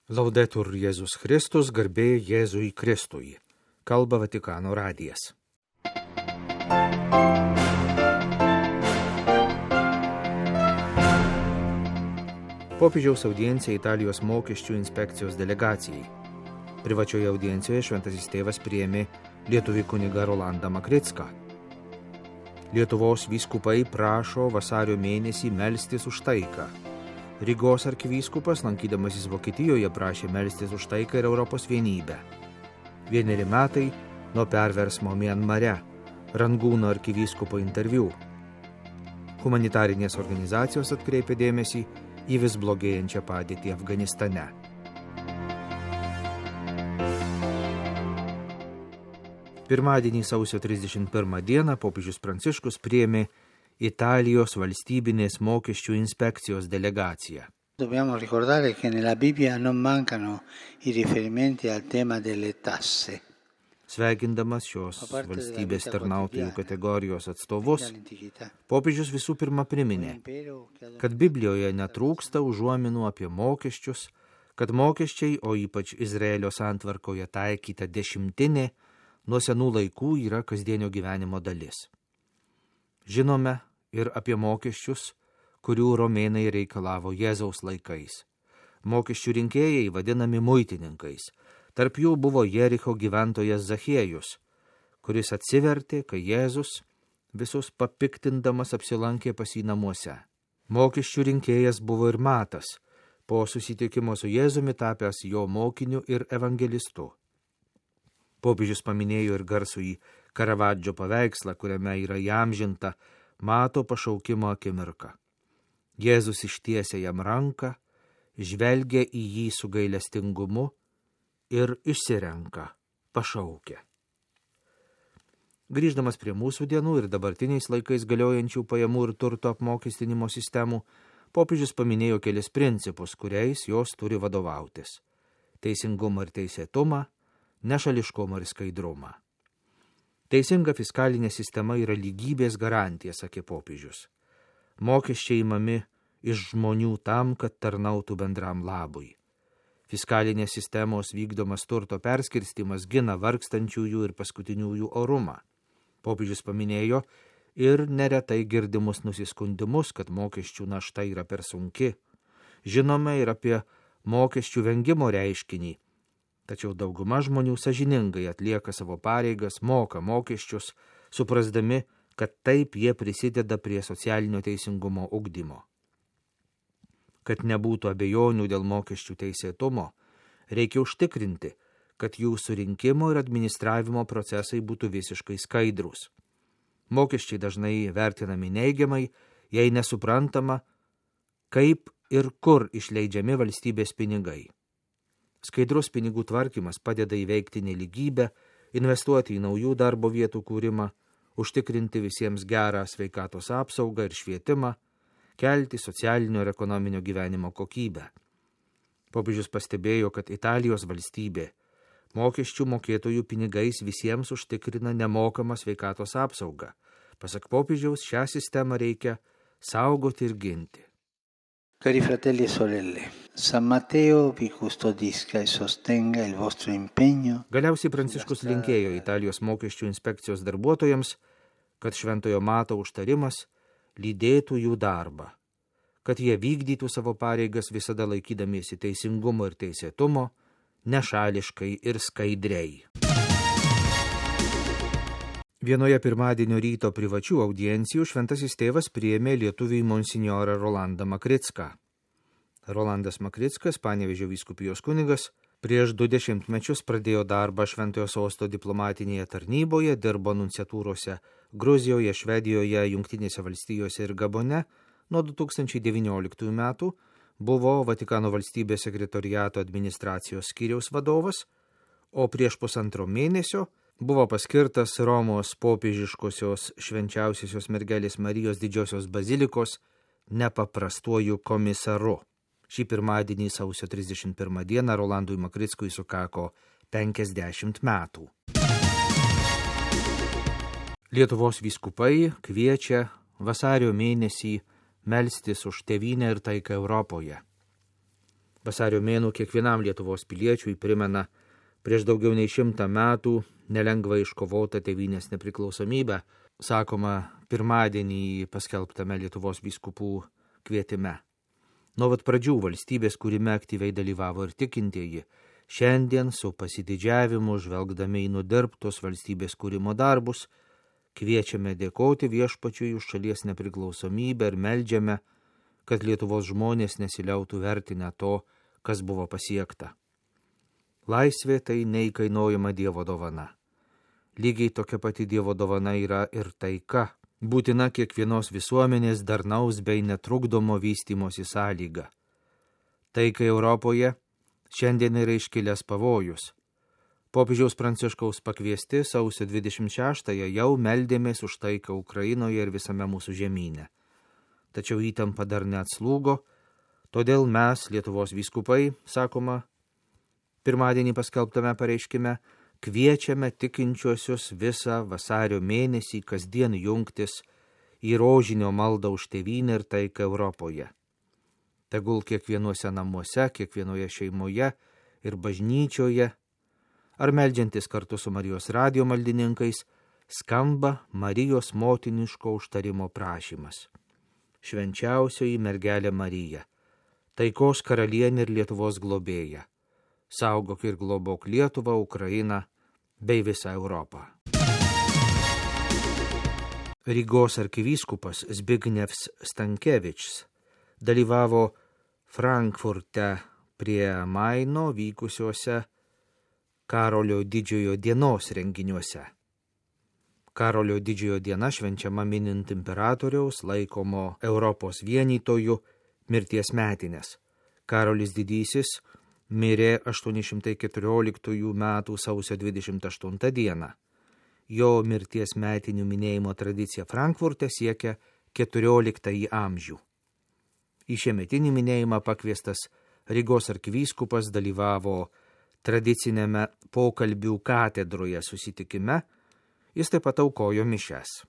Laudetur Jėzus Kristus, garbė Jėzui Kristui. Kalba Vatikano radijas. Popiežiaus audiencija Italijos mokesčių inspekcijos delegacijai. Privačioje audiencijoje šventasis tėvas priėmė lietuvį kunigą Rolandą Makricką. Lietuvos vyskupai prašo vasario mėnesį melstis už taiką. Rygos arkivyskupas, lankydamasis Vokietijoje, prašė melstis už taiką ir Europos vienybę. 1 metai nuo perversmo Mianmare. Rangūno arkivyskupo interviu. Humanitarinės organizacijos atkreipė dėmesį į vis blogėjančią padėtį Afganistane. Pirmadienį sausio 31 dieną popiežius Pranciškus priėmė Italijos valstybinės mokesčių inspekcijos delegacija. Dobbiamo ricordare che nella Bibbia non mancano I riferimenti al tema delle tasse. Sveikindamas šios valstybės tarnautojų kategorijos atstovus, popiežius visų pirma priminė, kad Biblijoje netrūksta užuominų apie mokesčius, kad mokesčiai, o ypač Izraelio santvarkoje taikyta dešimtinė, nuo senų laikų yra kasdienio gyvenimo dalis. Žinome ir apie mokesčius, kurių romėnai reikalavo Jėzaus laikais. Mokesčių rinkėjai vadinami muitininkais. Tarp jų buvo Jericho gyventojas Zachiejus, kuris atsivertė, kai Jėzus visus papiktindamas apsilankė pas jį namuose. Mokesčių rinkėjas buvo ir Matas, po susitikimo su Jėzumi tapęs jo mokiniu ir evangelistu. Popiežius paminėjo ir garsųjį Karavadžio paveikslą, kuriame yra įamžinta Mato pašaukimo akimirka. Jėzus ištiesia jam ranką, žvelgia į jį su gailestingumu ir išsirenka, pašaukia. Grįždamas prie mūsų dienų ir dabartiniais laikais galiojančių pajamų ir turto apmokestinimo sistemų, popiežius paminėjo kelis principus, kuriais jos turi vadovautis: teisingumą ir teisėtumą, nešališkumą ir skaidrumą. Teisinga fiskalinė sistema yra lygybės garantija, sakė popiežius. Mokesčiai imami iš žmonių tam, kad tarnautų bendram labui. Fiskalinės sistemos vykdomas turto perskirstimas gina vargstančiųjų ir paskutiniųjų orumą. Popiežius paminėjo ir neretai girdimus nusiskundimus, kad mokesčių našta yra per sunki. Žinome ir apie mokesčių vengimo reiškinį. Tačiau dauguma žmonių sąžiningai atlieka savo pareigas, moka mokesčius, suprasdami, kad taip jie prisideda prie socialinio teisingumo ugdymo. Kad nebūtų abejonių dėl mokesčių teisėtumo, reikia užtikrinti, kad jų surinkimo ir administravimo procesai būtų visiškai skaidrūs. Mokesčiai dažnai vertinami neigiamai, jei nesuprantama, kaip ir kur išleidžiami valstybės pinigai. Skaidrus pinigų tvarkymas padeda įveikti nelygybę, investuoti į naujų darbo vietų kūrimą, užtikrinti visiems gerą sveikatos apsaugą ir švietimą, kelti socialinio ir ekonominio gyvenimo kokybę. Popiežius pastebėjo, kad Italijos valstybė mokesčių mokėtojų pinigais visiems užtikrina nemokamą sveikatos apsaugą. Pasak popiežiaus, šią sistemą reikia saugoti ir ginti. Cari fratelli e sorelle, San Matteo vi custodisca e sostenga il vostro impegno. Galiausiai Pranciškus linkėjo Italijos mokesčių inspekcijos darbuotojams, kad Šventojo Mato užtarimas lydėtų jų darbą, kad jie vykdytų savo pareigas visada laikydamiesi teisingumo ir teisėtumo, nešališkai ir skaidriai. Vienoje pirmadienio ryto privačių audiencijų šventasis tėvas priėmė lietuvį monsinjorą Rolandą Makricką. Rolandas Makrickas, Panevėžio vyskupijos kunigas, prieš 20 mečius pradėjo darbą Šventojo Sosto diplomatinėje tarnyboje, dirbo nunciatūrose Gruzijoje, Švedijoje, Jungtinėse valstijose ir Gabone. Nuo 2019 metų buvo Vatikano valstybės sekretoriato administracijos skyriaus vadovas, o prieš 1,5 mėnesio buvo paskirtas Romos popiežiškosios švenčiausiosios mergelės Marijos didžiosios bazilikos nepaprastuoju komisaru. Šį pirmadienį sausio 31 dieną Rolandui Makrickui sukako 50 metų. Lietuvos vyskupai kviečia vasario mėnesį melstis už tėvynę ir taiką Europoje. Vasario mėnuo kiekvienam Lietuvos piliečiui primena prieš daugiau nei 100 metų nelengvai iškovotą tėvynės nepriklausomybę, sakoma pirmadienį paskelbtame Lietuvos vyskupų kvietime. Nuo pat pradžių valstybės kūrime aktyviai dalyvavo ir tikintieji. Šiandien su pasididžiavimu, žvelgdami į nudirbtus valstybės kūrimo darbus, kviečiame dėkoti Viešpačiui už šalies nepriklausomybę ir meldžiame, kad Lietuvos žmonės nesiliautų vertinę to, kas buvo pasiekta. Laisvė tai neįkainojama Dievo dovana. Lygiai tokia pati Dievo dovana yra ir taika, būtina kiekvienos visuomenės darnaus bei netrukdomo vystymosi sąlyga. Taikai Europoje šiandien yra iškilęs pavojus. Popiežiaus Pranciškaus pakviesti sausio 26-ąją jau meldėmės už taiką Ukrainoje ir visame mūsų žemyne. Tačiau įtampa dar neatslūgo, todėl mes, Lietuvos vyskupai, sakoma, pirmadienį paskelbtame pareiškime, kviečiame tikinčiuosius visą vasario mėnesį kasdien jungtis į rožinio maldą už tėvynę ir taiką Europoje. Tegul kiekvienuose namuose, kiekvienoje šeimoje ir bažnyčioje, ar meldžiantis kartu su Marijos radijo maldininkais, skamba Marijos motiniško užtarimo prašymas. Švenčiausioji mergelė Marija, taikos karalienė ir Lietuvos globėja, saugok ir globok Lietuvą, Ukrainą bei visą Europą. Rygos arkivyskupas Zbignevs Stankevičius dalyvavo Frankfurte prie Maino vykusiuose Karolio didžiojo dienos renginiuose. Karolio didžiojo diena švenčiama minint imperatoriaus, laikomo Europos vienytojų, mirties metinės. Karolis Didysis mirė 814 metų sausio 28 dieną. Jo mirties metinių minėjimo tradicija Frankfurte siekia 14 amžių. Į šiemetinį minėjimą pakviestas Rygos arkivyskupas dalyvavo tradicinėme pokalbių katedroje susitikime. Jis taip pat aukojo mišias.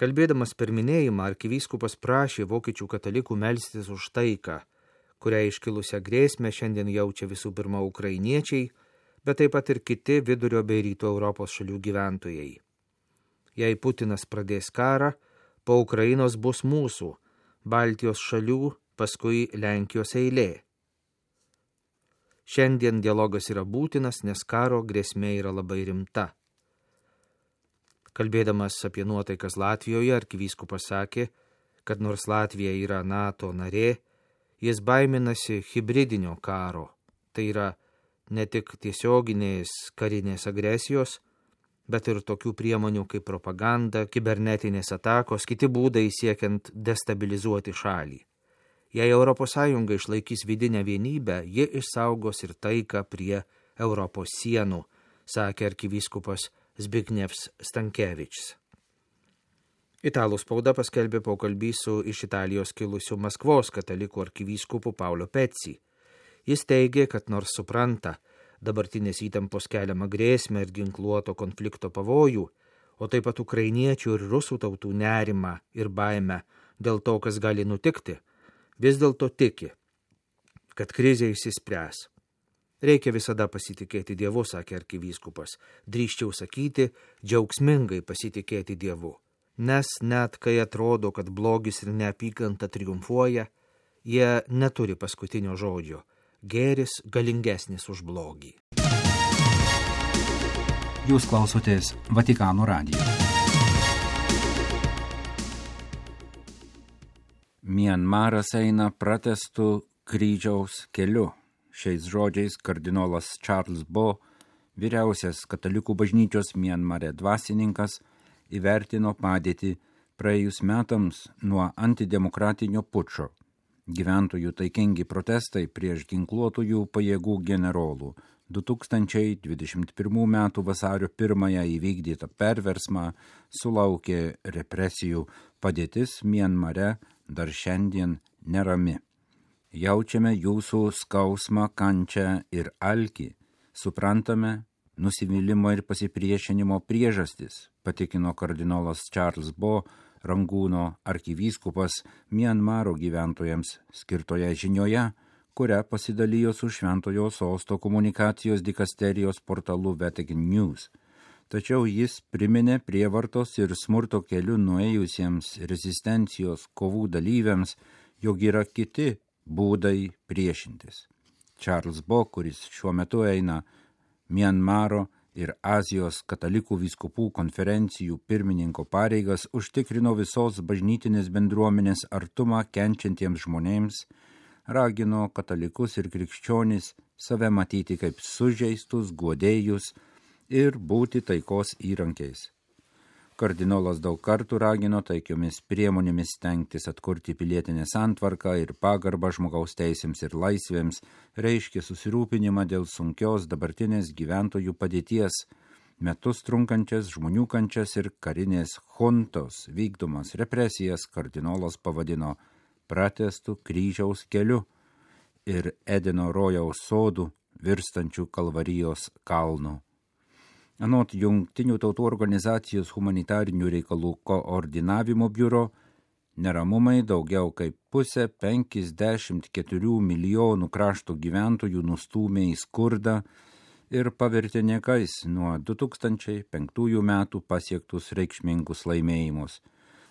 Kalbėdamas per minėjimą, arkivyskupas prašė vokiečių katalikų melstis už taiką, kurią iškilusią grėsmę šiandien jaučia visų pirma ukrainiečiai, bet taip pat ir kiti vidurio bei rytų Europos šalių gyventojai. Jei Putinas pradės karą, po Ukrainos bus mūsų, Baltijos šalių, paskui Lenkijos eilė. Šiandien dialogas yra būtinas, nes karo grėsmė yra labai rimta. Kalbėdamas apie nuotaikas Latvijoje, arkivyskupas sakė, kad nors Latvija yra NATO narė, jis baiminasi hibridinio karo. Tai yra ne tik tiesioginės karinės agresijos, bet ir tokių priemonių kaip propaganda, kibernetinės atakos, kiti būdai siekiant destabilizuoti šalį. Jei ES išlaikys vidinę vienybę, ji išsaugos ir taiką prie Europos sienų, sakė arkivyskupas Zbignevs Stankevičius. Italų spauda paskelbė pokalbį su iš Italijos kilusiu Maskvos katalikų arkivyskupu Paolo Pezzi. Jis teigė, kad nors supranta dabartinės įtampos keliamą grėsmę ir ginkluoto konflikto pavojų, o taip pat ukrainiečių ir rusų tautų nerimą ir baimę dėl to, kas gali nutikti, vis dėlto tiki, kad krizė išsispręs. Reikia visada pasitikėti Dievu, sakė arkivyskupas, drįsčiau sakyti, džiaugsmingai pasitikėti Dievu. Nes net kai atrodo, kad blogis ir neapykanta triumfuoja, jie neturi paskutinio žodžio. Gėris galingesnis už blogį. Jūs klausotės Vatikano radijo. Mianmaras eina pratęstų kryžiaus keliu. Šiais žodžiais kardinolas Charles Bo, vyriausias katalikų bažnyčios Mianmare dvasininkas, įvertino padėtį praėjus metams nuo antidemokratinio pučo. Gyventojų taikingi protestai prieš ginkluotųjų pajėgų generolų 2021 m. vasario 1 įvykdytą perversmą sulaukė represijų. Padėtis Mianmare dar šiandien nerami. Jaučiame jūsų skausmą, kančią ir alkį. Suprantame nusivylimo ir pasipriešinimo priežastis, patikino kardinolas Charles Bo, Rangūno arkivyskupas Mianmaro gyventojams skirtoje žinioje, kurią pasidalijo su Šventojo Sosto komunikacijos dikasterijos portalu Vatican News. Tačiau jis priminė prievartos ir smurto keliu nuėjusiems rezistencijos kovų dalyviams, jog yra kiti būdai priešintis. Charles Bo, kuris šiuo metu eina Mianmaro ir Azijos katalikų vyskupų konferencijų pirmininko pareigas, užtikrino visos bažnytinės bendruomenės artumą kenčiantiems žmonėms, ragino katalikus ir krikščionis save matyti kaip sužeistus, guodėjus ir būti taikos įrankiais. Kardinolas daug kartų ragino taikiomis priemonėmis stengtis atkurti pilietinę santvarką ir pagarbą žmogaus teisėms ir laisvėms, reiškė susirūpinimą dėl sunkios dabartinės gyventojų padėties, metus trunkančias žmonių kančias ir karinės juntos vykdomas represijas kardinolas pavadino pratęstų kryžiaus keliu ir Edeno rojaus sodų virstančių Kalvarijos kalnų. Anot Jungtinių tautų organizacijos humanitarinių reikalų koordinavimo biuro, neramumai daugiau kaip pusę 54 milijonų krašto gyventojų nustūmė į skurdą ir pavertė niekais nuo 2005 metų pasiektus reikšmingus laimėjimus.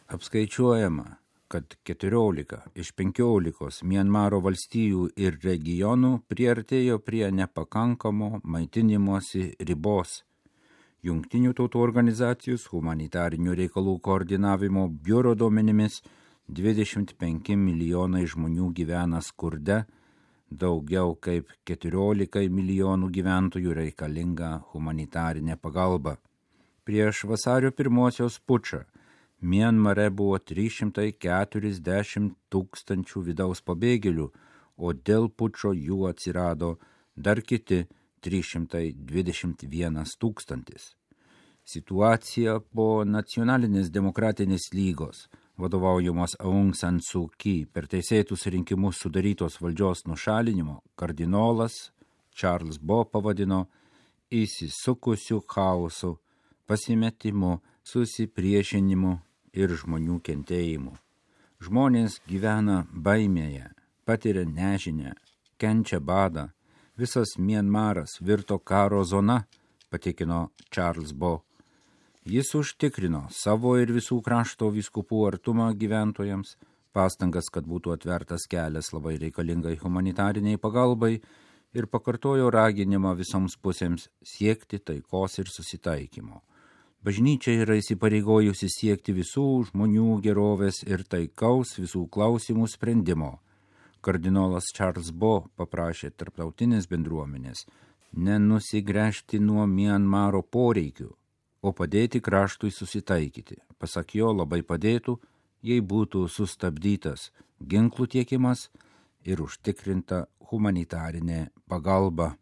Apskaičiuojama, kad 14 iš 15 Mianmaro valstijų ir regionų priartėjo prie nepakankamo maitinimosi ribos. Jungtinių tautų organizacijos humanitarinių reikalų koordinavimo biuro duomenimis 25 milijonai žmonių gyvena skurde, daugiau kaip 14 milijonų gyventojų reikalinga humanitarinė pagalba. Prieš vasario 1 pučą Mianmare buvo 340 tūkstančių vidaus pabėgėlių, o dėl pučo jų atsirado dar kiti 321 tūkstantis. Situacija po Nacionalinės demokratinės lygos, vadovaujamos Aung San Suu Kyi per teisėtus rinkimus sudarytos valdžios nušalinimo, kardinolas Charles Bo pavadino įsisukusių chaosų, pasimetimu, susipriešinimu ir žmonių kentėjimu. Žmonės gyvena baimėje, patiria nežinią, kenčia badą. Visas Mianmaras virto karo zona, patikino Charles Bo. Jis užtikrino savo ir visų krašto vyskupų artumą gyventojams, pastangas, kad būtų atvertas kelias labai reikalingai humanitariniai pagalbai ir pakartojo raginimą visoms pusėms siekti taikos ir susitaikymo. Bažnyčia yra įsipareigojusi siekti visų žmonių gerovės ir taikaus visų klausimų sprendimo. Kardinolas Charles Bo paprašė tarptautinės bendruomenės nenusigręžti nuo Mianmaro poreikių, o padėti kraštui susitaikyti. Pasak jo, labai padėtų, jei būtų sustabdytas ginklų tiekimas ir užtikrinta humanitarinė pagalba.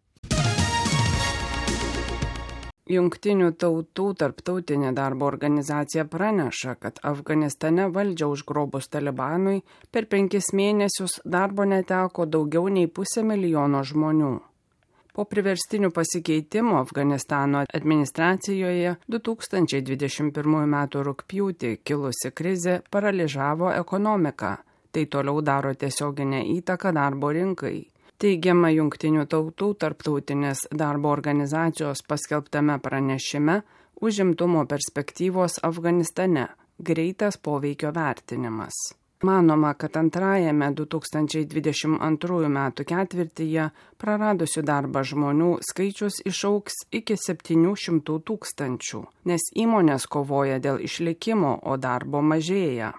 Jungtinių tautų tarptautinė darbo organizacija praneša, kad Afganistane valdžią užgrobus Talibanui per 5 mėnesius darbo neteko daugiau nei 500 000 žmonių. Po priverstinių pasikeitimų Afganistano administracijoje 2021 m. rugpjūtį kilusi krizė paralyžavo ekonomiką. Tai toliau daro tiesioginę įtaką darbo rinkai. Teigiama Jungtinių tautų tarptautinės darbo organizacijos paskelbtame pranešime užimtumo perspektyvos Afganistane – greitas poveikio vertinimas. Manoma, kad antrajame 2022 metų ketvirtyje praradusių darbą žmonių skaičius išaugs iki 700 000, nes įmonės kovoja dėl išlikimo, o darbo mažėja.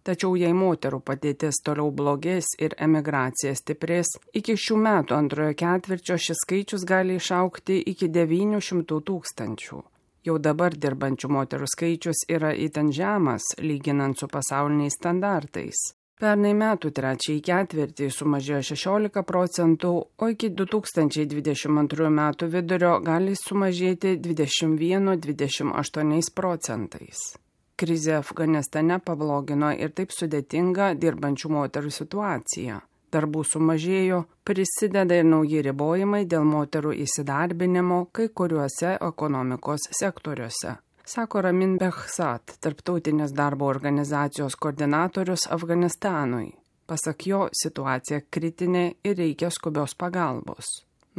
Tačiau jei moterų padėtis toliau blogės ir emigracija stiprės, iki šių metų antrojo ketvirčio šis skaičius gali išaugti iki 900 000. Jau dabar dirbančių moterų skaičius yra itin žemas, lyginant su pasauliniais standartais. Pernai metų trečiąjį ketvirtį sumažėjo 16%, o iki 2022 metų vidurio gali sumažėti 21–28%. Krizė Afganistane pablogino ir taip sudėtingą dirbančių moterų situaciją. Darbų sumažėjo, prisideda ir nauji ribojimai dėl moterų įsidarbinimo kai kuriuose ekonomikos sektoriuose, sako Ramin Behzad, tarptautinės darbo organizacijos koordinatorius Afganistanui. Pasak jo, situacija kritinė ir reikia skubios pagalbos.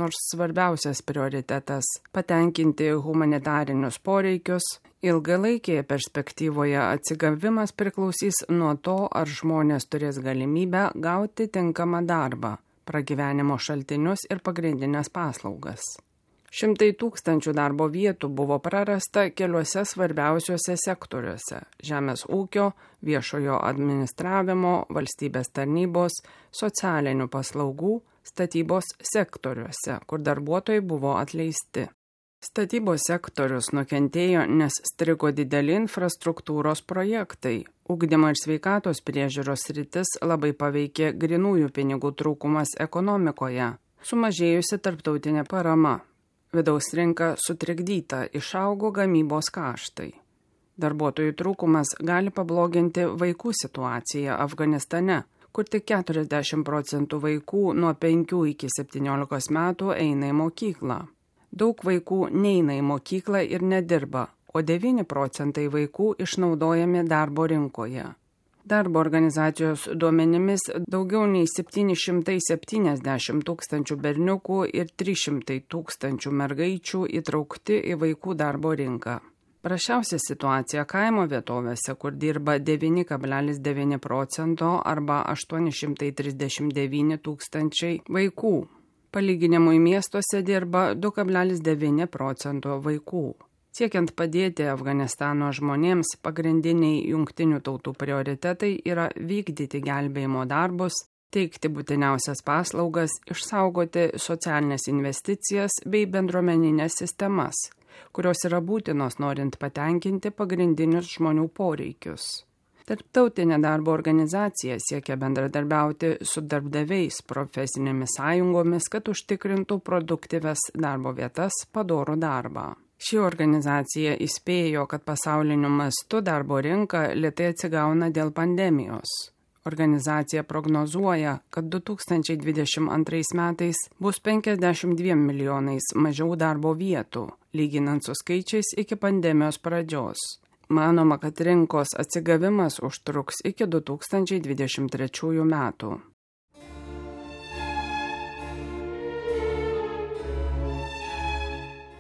Nors svarbiausias prioritetas – patenkinti humanitarinius poreikius, ilgalaikėje perspektyvoje atsigavimas priklausys nuo to, ar žmonės turės galimybę gauti tinkamą darbą, pragyvenimo šaltinius ir pagrindinės paslaugas. 100 000 darbo vietų buvo prarasta keliuose svarbiausiuose sektoriuose – žemės ūkio, viešojo administravimo, valstybės tarnybos, socialinių paslaugų, statybos sektoriuose, kur darbuotojai buvo atleisti. Statybos sektorius nukentėjo, nes strigo dideli infrastruktūros projektai. Ugdymo ir sveikatos priežiūros sritis labai paveikė grynųjų pinigų trūkumas ekonomikoje, sumažėjusi tarptautinė parama. Vidaus rinka sutrikdyta, išaugo gamybos kaštai. Darbuotojų trūkumas gali pabloginti vaikų situaciją Afganistane, kur tik 40% vaikų nuo 5 iki 17 metų eina į mokyklą. Daug vaikų neina į mokyklą ir nedirba, o 9% vaikų išnaudojami darbo rinkoje. Darbo organizacijos duomenimis daugiau nei 770 000 berniukų ir 300 000 mergaičių įtraukti į vaikų darbo rinką. Prasčiausia situacija kaimo vietovėse, kur dirba 9,9% arba 839 000 vaikų. Palyginimui miestuose dirba 2,9% vaikų. Siekiant padėti Afganistano žmonėms, pagrindiniai jungtinių tautų prioritetai yra vykdyti gelbėjimo darbus, teikti būtiniausias paslaugas, išsaugoti socialinės investicijas bei bendruomeninės sistemas, kurios yra būtinos norint patenkinti pagrindinius žmonių poreikius. Tarptautinė darbo organizacija siekia bendradarbiauti su darbdaviais, profesinėmis sąjungomis, kad užtikrintų produktyves darbo vietas, padorų darbą. Ši organizacija įspėjo, kad pasauliniu mastu darbo rinka lėtai atsigauna dėl pandemijos. Organizacija prognozuoja, kad 2022 metais bus 52 milijonais mažiau darbo vietų, lyginant su skaičiais iki pandemijos pradžios. Manoma, kad rinkos atsigavimas užtruks iki 2023 metų.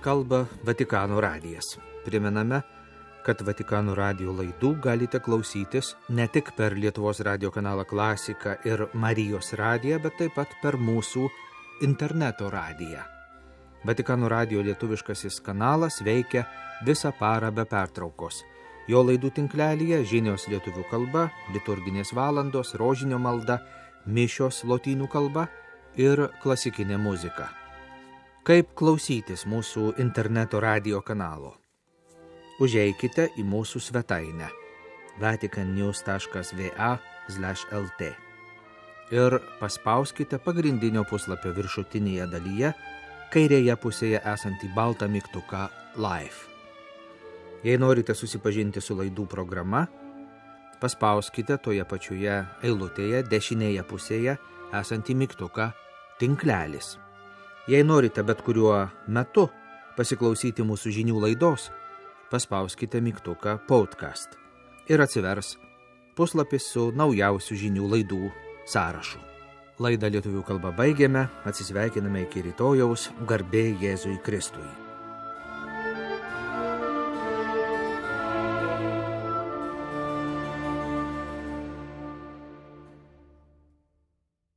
Kalba Vatikano radijas. Primename, kad Vatikano radijo laidų galite klausytis ne tik per Lietuvos radijo kanalą Klasika ir Marijos radiją, bet taip pat per mūsų interneto radiją. Vatikano radijo lietuviškasis kanalas veikia visą parą be pertraukos. Jo laidų tinklelyje žinios lietuvių kalba, liturginės valandos, rožinio malda, mišios lotynų kalba ir klasikinė muzika. Kaip klausytis mūsų interneto radijo kanalo? Užeikite į mūsų svetainę vaticannews.va/lt ir paspauskite pagrindinio puslapio viršutinėje dalyje, kairėje pusėje esantį baltą mygtuką Live. Jei norite susipažinti su laidų programa, paspauskite toje pačioje eilutėje dešinėje pusėje esantį mygtuką Tinklelis. Jei norite bet kuriuo metu pasiklausyti mūsų žinių laidos, paspauskite mygtuką Podcast ir atsivers puslapis su naujausių žinių laidų sąrašu. Laidą lietuvių kalba baigėme, atsisveikiname iki rytojaus, garbė Jėzui Kristui.